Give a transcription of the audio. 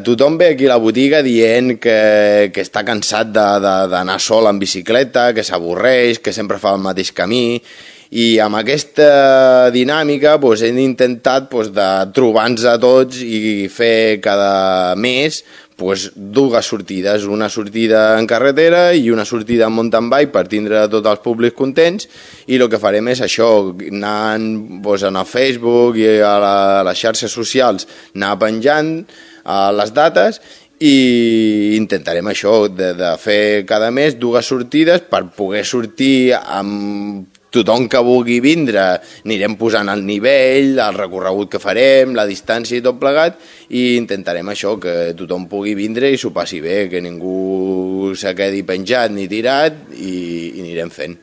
tothom ve aquí a la botiga dient que està cansat d'anar sol en bicicleta, que s'avorreix, que sempre fa el mateix camí, i amb aquesta dinàmica hem intentat de trobar-nos a tots i fer cada mes dues sortides, una sortida en carretera i una sortida en mountain bike per tindre tots els públics contents, i el que farem és això, anar en el Facebook i a les xarxes socials, anar penjant les dates, i intentarem això, de fer cada mes dues sortides per poder sortir amb tothom que vulgui vindre. Anirem posant el nivell, el recorregut que farem, la distància i tot plegat, i intentarem això, que tothom pugui vindre i s'ho passi bé, que ningú se quedi penjat ni tirat, i anirem fent.